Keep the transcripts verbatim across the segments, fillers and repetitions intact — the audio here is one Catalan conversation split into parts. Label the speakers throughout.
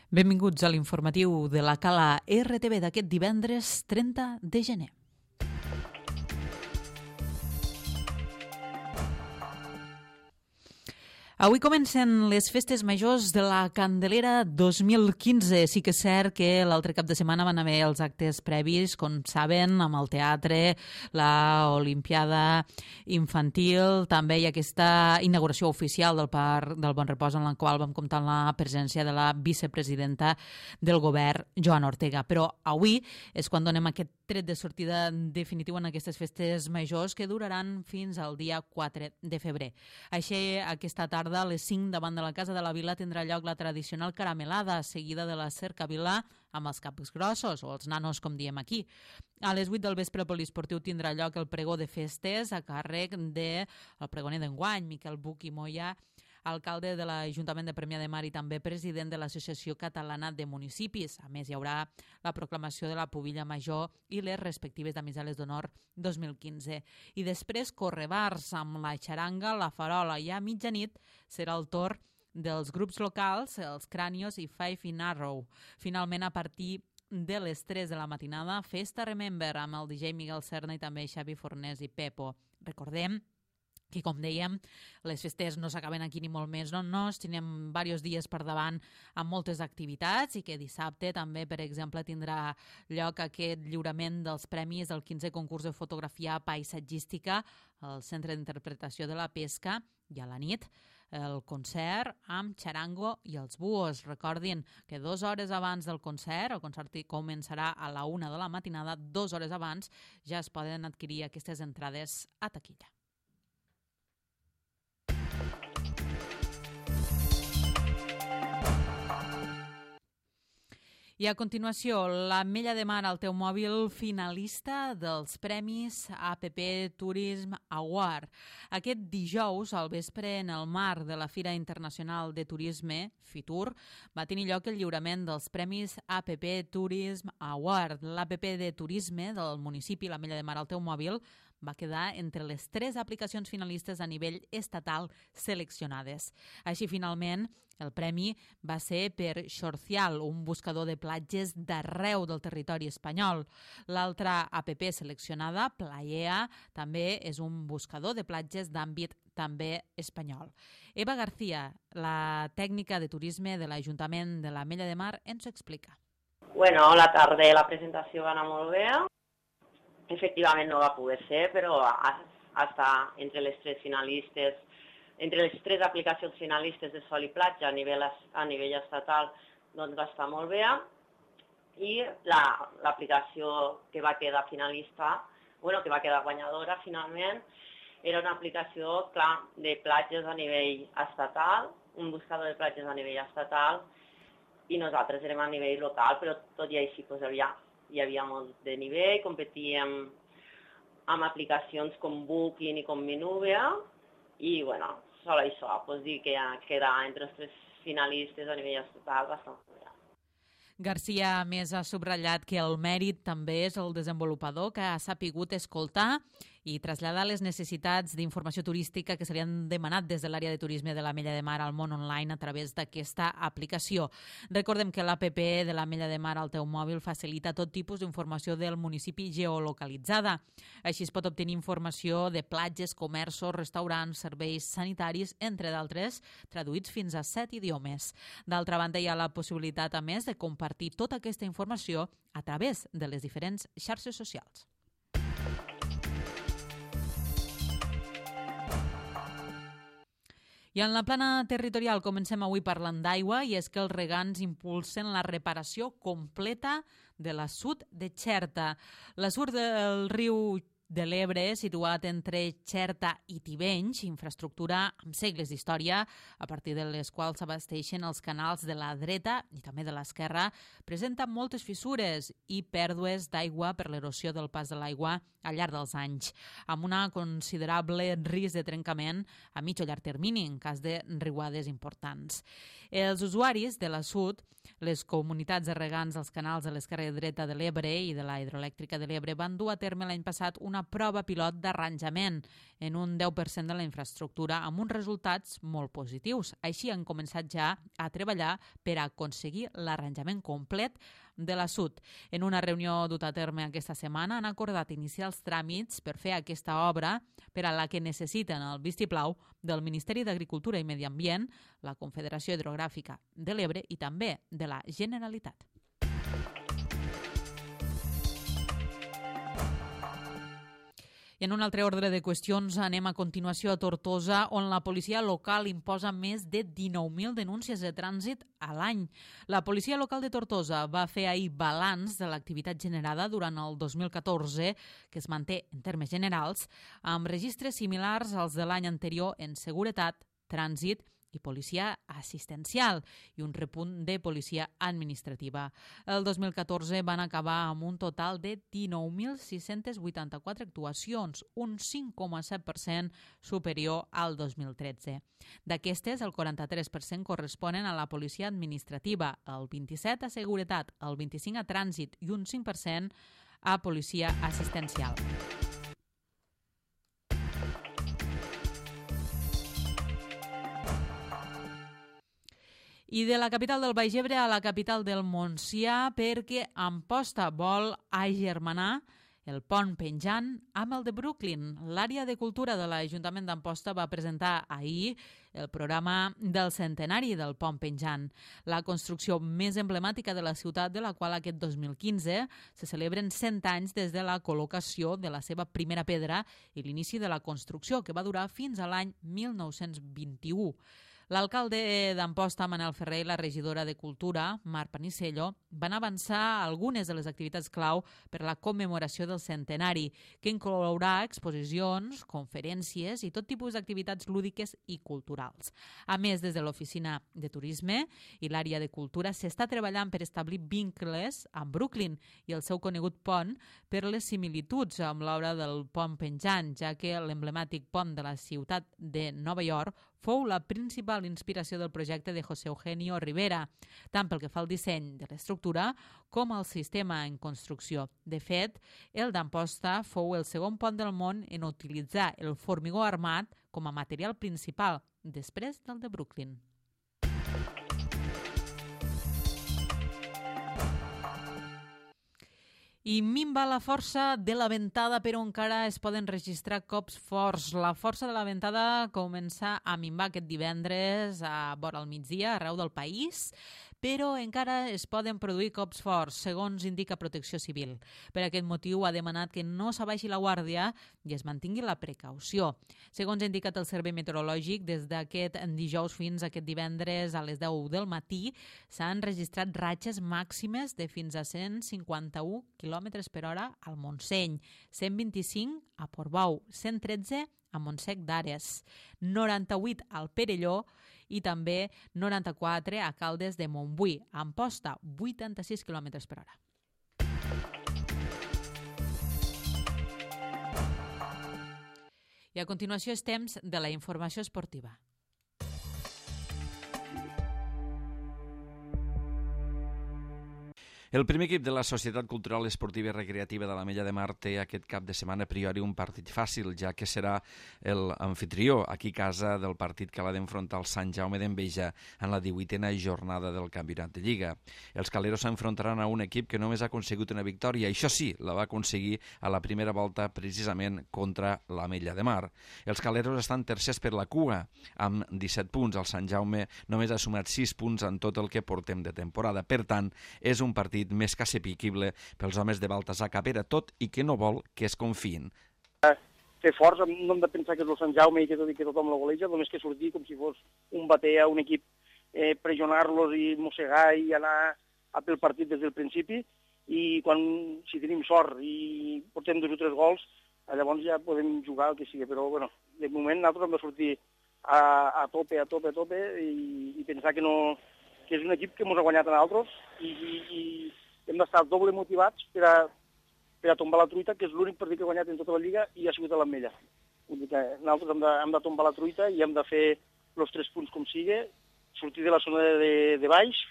Speaker 1: Benvinguts a l'informatiu de la Cala R T V d'aquest divendres trenta de gener. Avui comencen les festes majors de la Candelera dos mil quinze. Sí que és cert que l'altre cap de setmana van haver els actes previs, com saben, amb el teatre, la Olimpiada Infantil, també hi ha aquesta inauguració oficial del Parc del Bon Repòs, en la qual vam comptar amb la presència de la vicepresidenta del govern, Joana Ortega. Però avui és quan donem aquest tret de sortida definitiu en aquestes festes majors que duraran fins al dia quatre de febrer. Així, aquesta tarda a les cinc davant de la Casa de la Vila tindrà lloc la tradicional caramelada, seguida de la cercavila amb els caps grossos, o els nanos, com diem aquí. A les vuit del vespre al poliesportiu tindrà lloc el pregó de festes a càrrec del pregoner d'enguany, Miquel Buch i Moya, alcalde de l'Ajuntament de Premià de Mar i també president de l'Associació Catalana de Municipis. A més, hi haurà la proclamació de la Pubilla Major i les respectives damisales d'honor dos mil quinze. I després correbars amb la xaranga, la farola, i a mitjanit serà el torn dels grups locals, els Crànios i Five in Arrow. Finalment, a partir de les tres de la matinada, Festa Remember amb el D J Miguel Serna i també Xavi Fornés i Pepo. Recordem que, com dèiem, les festes no s'acaben aquí ni molt més, no? no tenim diversos dies per davant amb moltes activitats i que dissabte també, per exemple, tindrà lloc aquest lliurament dels premis del quinzè concurs de fotografia paisatgística al Centre d'Interpretació de la Pesca, i a la nit el concert amb xarango i els buos. Recordin que dues hores abans del concert, el concert començarà a la una de la matinada, dues hores abans ja es poden adquirir aquestes entrades a taquilla. I a continuació, l'Ametlla de Mar al teu mòbil, finalista dels Premis A P P Tourism Award. Aquest dijous, al vespre, en el marc de la Fira Internacional de Turisme, FITUR, va tenir lloc el lliurament dels Premis A P P Tourism Award. L'A P P de Turisme del municipi, l'Ametlla de Mar al teu mòbil, va quedar entre les tres aplicacions finalistes a nivell estatal seleccionades. Així, finalment, el premi va ser per Xorcial, un buscador de platges d'arreu del territori espanyol. L'altra A P P seleccionada, Playea, també és un buscador de platges d'àmbit també espanyol. Eva García, la tècnica de turisme de l'Ajuntament de l'Ametlla de Mar, ens ho explica.
Speaker 2: Bueno, la tarda la presentació va anar molt bé. Efectivament no va poder ser, però està entre les tres finalistes, entre les tres aplicacions finalistes de sol i platja a nivell, a nivell estatal, doncs va estar molt bé. I l'aplicació la, que va quedar finalista, bueno, que va quedar guanyadora finalment, era una aplicació, clar, de platges a nivell estatal, un buscador de platges a nivell estatal, i nosaltres érem a nivell local, però tot i així doncs, havia hi havia molt de nivell, competíem amb aplicacions com Booking i com Minuvia i, bueno, sol això, pues dir que quedar entre els tres finalistes a nivell estatal bastant bé.
Speaker 1: García, a més, ha subratllat que el mèrit també és el desenvolupador que ha sapigut escoltar i traslladar les necessitats d'informació turística que se li han demanat des de l'àrea de turisme de l'Ametlla de Mar al món online a través d'aquesta aplicació. Recordem que l'A P P de l'Ametlla de Mar al teu mòbil facilita tot tipus d'informació del municipi geolocalitzada. Així es pot obtenir informació de platges, comerços, restaurants, serveis sanitaris, entre d'altres, traduïts fins a set idiomes. D'altra banda, hi ha la possibilitat, a més, de compartir tota aquesta informació a través de les diferents xarxes socials. I en la plana territorial comencem avui parlant d'aigua i és que els regants impulsen la reparació completa de l'assut de Xerta. L'assut del riu de l'Ebre, situat entre Xerta i Tivenys, infraestructura amb segles d'història, a partir de les quals s'abasteixen els canals de la dreta i també de l'esquerra, presenta moltes fissures i pèrdues d'aigua per l'erosió del pas de l'aigua al llarg dels anys, amb una considerable risc de trencament a mig o llarg termini en cas de riuades importants. Els usuaris de l'assut, les comunitats de regants dels canals de l'esquerra i dreta de l'Ebre i de la hidroelèctrica de l'Ebre van dur a terme l'any passat una una prova pilot d'arranjament en un deu per cent de la infraestructura amb uns resultats molt positius. Així han començat ja a treballar per aconseguir l'arranjament complet de la Sud. En una reunió duta a terme aquesta setmana han acordat iniciar els tràmits per fer aquesta obra per a la que necessiten el vistiplau del Ministeri d'Agricultura i Medi Ambient, la Confederació Hidrogràfica de l'Ebre i també de la Generalitat. I en un altre ordre de qüestions anem a continuació a Tortosa, on la policia local imposa més de dinou mil denúncies de trànsit a l'any. La policia local de Tortosa va fer ahir balanç de l'activitat generada durant el dos mil catorze, que es manté en termes generals, amb registres similars als de l'any anterior en seguretat, trànsit i policia assistencial i un repunt de policia administrativa. El dos mil catorze van acabar amb un total de dinou mil sis-centes vuitanta-quatre actuacions, un cinc coma set per cent superior al dos mil tretze. D'aquestes, el quaranta-tres per cent corresponen a la policia administrativa, el vint-i-set per cent a seguretat, el vint-i-cinc per cent a trànsit i un cinc per cent a policia assistencial. I de la capital del Baix Ebre a la capital del Montsià, perquè Amposta vol agermanar el pont penjant amb el de Brooklyn. L'àrea de cultura de l'Ajuntament d'Amposta va presentar ahir el programa del centenari del pont penjant, la construcció més emblemàtica de la ciutat, de la qual aquest dos mil quinze se celebren cent anys des de la col·locació de la seva primera pedra i l'inici de la construcció, que va durar fins a l'any mil nou-cents vint-i-u. L'alcalde d'Amposta, Manel Ferrer, i la regidora de Cultura, Mar Panisello, van avançar algunes de les activitats clau per a la commemoració del centenari, que inclourà exposicions, conferències i tot tipus d'activitats lúdiques i culturals. A més, des de l'Oficina de Turisme i l'àrea de Cultura s'està treballant per establir vincles amb Brooklyn i el seu conegut pont per les similituds amb l'obra del pont penjant, ja que l'emblemàtic pont de la ciutat de Nova York fou la principal inspiració del projecte de José Eugenio Rivera, tant pel que fa al disseny de l'estructura com al sistema en construcció. De fet, el d'Amposta fou el segon pont del món en utilitzar el formigó armat com a material principal, després del de Brooklyn. I minva la força de la ventada, però encara es poden registrar cops forts. La força de la ventada comença a minvar aquest divendres a vora al migdia arreu del país, però encara es poden produir cops forts, segons indica Protecció Civil. Per aquest motiu ha demanat que no s'abaixi la guàrdia i es mantingui la precaució. Segons ha indicat el Servei Meteorològic, des d'aquest dijous fins a aquest divendres a les deu del matí s'han registrat ratxes màximes de fins a cent cinquanta-u quilòmetres per hora al Montseny, cent vint-i-cinc a Portbou, cent tretze a Montsec d'Ares, noranta-vuit al Perelló i també noranta-quatre a Caldes de Montbui. A Amposta, vuitanta-sis quilòmetres per hora. I a continuació és temps de la informació esportiva.
Speaker 3: El primer equip de la Societat Cultural Esportiva i Recreativa de l'Ametlla de Mar té aquest cap de setmana a priori un partit fàcil, ja que serà l'anfitrió aquí a casa del partit que l'ha d'enfrontar el Sant Jaume d'Enveja en la divuitena jornada del Campionat de Lliga. Els caleros s'enfrontaran a un equip que només ha aconseguit una victòria, i això sí, la va aconseguir a la primera volta precisament contra l'Ametlla de Mar. Els caleros estan tercers per la cua, amb disset punts. El Sant Jaume només ha sumat sis punts en tot el que portem de temporada. Per tant, és un partit més que assequible pels homes de Baltasar Capera, tot i que no vol que es confiïn.
Speaker 4: Fer forts, no hem de pensar que és el Sant Jaume i que, tot, i que tothom la goleja, només que sortir com si fos un bater a un equip, eh, pressionar-los i mossegar i anar a pel partit des del principi, i quan, si tenim sort i portem dos o tres gols, llavors ja podem jugar el que sigui, però bueno, de moment nosaltres hem de sortir a, a tope, a tope, a tope i, i pensar que no... que és un equip que ens ha guanyat a nosaltres i, i, i hem d'estar doble motivats per a, per a tombar la truita, que és l'únic partit que ha guanyat en tota la Lliga i ha sigut a l'Ametlla. Vull dir que nosaltres hem de, hem de tombar la truita i hem de fer els tres punts com sigui, sortir de la zona de, de, de baix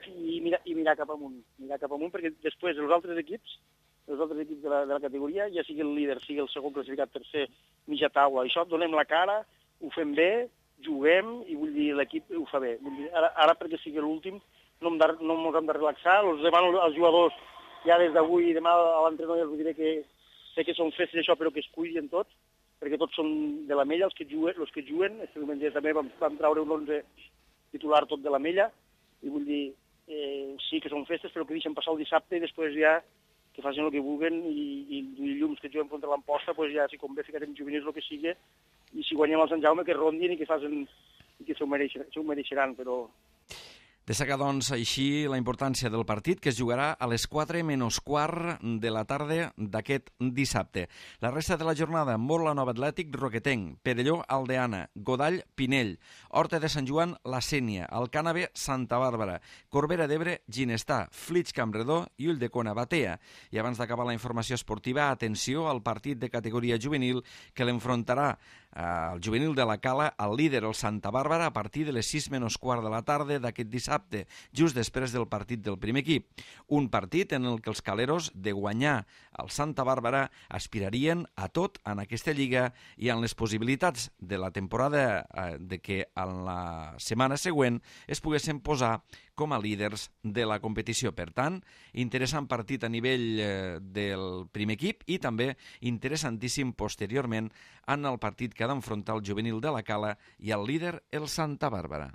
Speaker 4: i mirar, i mirar cap amunt. Mirar cap amunt perquè després els altres equips els altres equips de la, de la categoria, ja sigui el líder, sigui el segon classificat, tercer, mitja taula, això, donem la cara, ho fem bé, juguem, i vull dir, l'equip ho fa bé. Vull dir, ara, ara perquè sigui l'últim, no ens no hem de relaxar, els demano als jugadors, ja des d'avui i demà a l'entrenador ja us diré que sé que són festes això, però que es cuidin tots, perquè tots són de la Mella, els que juguen, els que juguen, este diumenge també vam, vam traure un onze titular tot de la Mella, i vull dir, eh, sí que són festes, però que deixen passar el dissabte i després ja que facin el que vulguen, i, i dilluns que juguem contra l'Amposta, pues ja si convé ficarem juvenils el que sigui, i si guanyem el Sant Jaume que rondin i que facin, i que s'ho mereixeran, mereixeran, però...
Speaker 3: Destaca, doncs, així la importància del partit, que es jugarà a les quatre menys quart de la tarda d'aquest dissabte. La resta de la jornada: Morla Nova Atlètic, Roquetenc, Perelló Aldeana, Godall Pinell, Horta de Sant Joan La Sénia, Alcànave Santa Bàrbara, Corbera d'Ebre Ginestà, Flix Campredó i Ulldecona Batea. I abans d'acabar la informació esportiva, atenció al partit de categoria juvenil que l'enfrontarà el juvenil de la Cala al líder, el Santa Bàrbara, a partir de les sis menys quart de la tarda d'aquest dissabte, just després del partit del primer equip. Un partit en el que els caleros, de guanyar el Santa Bàrbara, aspirarien a tot en aquesta lliga i en les possibilitats de la temporada eh, de que en la setmana següent es poguessin posar com a líders de la competició. Per tant, interessant partit a nivell eh, del primer equip i també interessantíssim posteriorment en el partit que ha d'enfrontar el juvenil de la Cala i el líder, el Santa Bàrbara.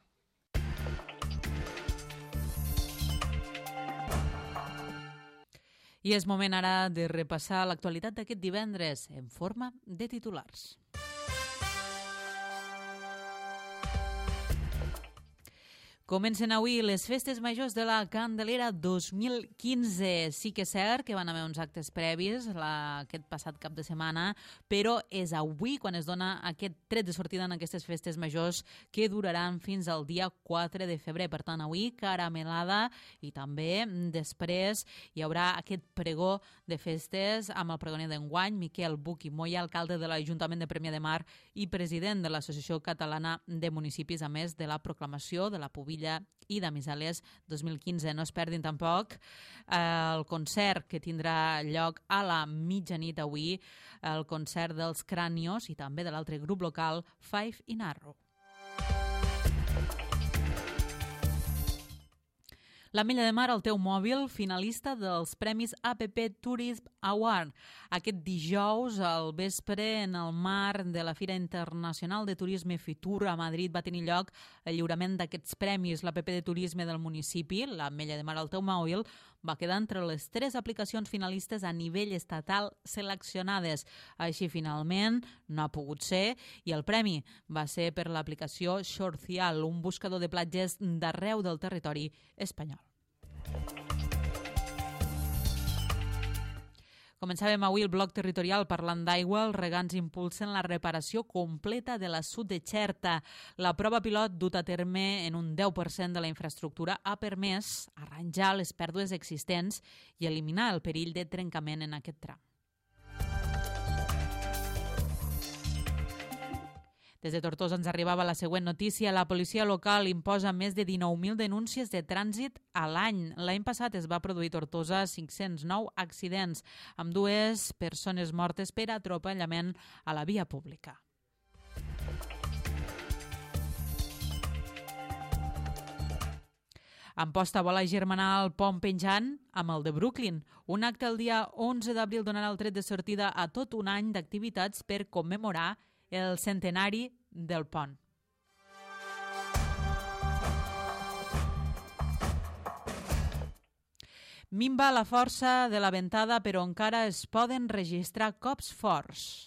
Speaker 1: I és moment ara de repassar l'actualitat d'aquest divendres en forma de titulars. Comencen avui les festes majors de la Candelera dos mil quinze. Sí que és cert que van haver uns actes previs la, aquest passat cap de setmana, però és avui quan es dona aquest tret de sortida en aquestes festes majors que duraran fins al dia quatre de febrer. Per tant, avui caramelada i també després hi haurà aquest pregó de festes amb el pregoner d'enguany, Miquel Buch i Moya, alcalde de l'Ajuntament de Premià de Mar i president de l'Associació Catalana de Municipis, a més de la proclamació de la Pubilla i d'Amisales dos mil quinze. No es perdin tampoc eh, el concert que tindrà lloc a la mitjanit avui, el concert dels Cranios i també de l'altre grup local Five in Arrow. L'Ametlla de Mar, el teu mòbil, finalista dels Premis A P P Tourism Award. Aquest dijous, al vespre, en el marc de la Fira Internacional de Turisme Fitur a Madrid, va tenir lloc el lliurament d'aquests premis. L'A P P de Turisme del municipi, l'Ametlla de Mar, el teu mòbil, va quedar entre les tres aplicacions finalistes a nivell estatal seleccionades. Així, finalment, no ha pogut ser, i el premi va ser per l'aplicació Shortcial, un buscador de platges d'arreu del territori espanyol. Començàvem avui el bloc territorial parlant d'aigua. Els regants impulsen la reparació completa de l'assut de Xerta. La prova pilot duta a terme en un deu per cent de la infraestructura ha permès arranjar les pèrdues existents i eliminar el perill de trencament en aquest tram. Des de Tortosa ens arribava la següent notícia. La policia local imposa més de dinou mil denúncies de trànsit a l'any. L'any passat es va produir a Tortosa cinc-cents nou accidents, amb dues persones mortes per atropellament a la via pública. Amposta vol agermanar el pont penjant amb el de Brooklyn. Un acte el dia onze d'abril donarà el tret de sortida a tot un any d'activitats per commemorar el centenari del pont. Minva la força de la ventada, però encara es poden registrar cops forts.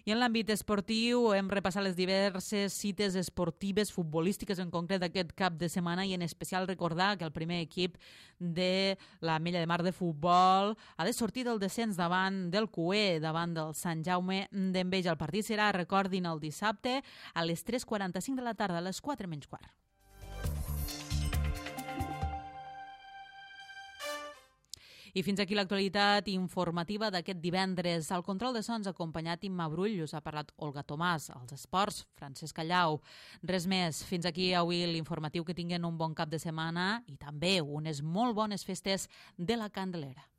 Speaker 1: I en l'àmbit esportiu hem repassat les diverses cites esportives, futbolístiques en concret d'aquest cap de setmana, i en especial recordar que el primer equip de l'Ametlla de Mar de futbol ha de sortir del descens davant del Cué, davant del Sant Jaume d'Enveja. El partit serà, recordin, el dissabte a les tres quaranta-cinc de la tarda, a les quatre menys quart. I I fins aquí l'actualitat informativa d'aquest divendres. Al control de sons acompanyat Imma Brull, us ha parlat Olga Tomàs, als esports, Francesc Callau. Res més, fins aquí avui l'informatiu, que tinguen un bon cap de setmana i també unes molt bones festes de la Candelera.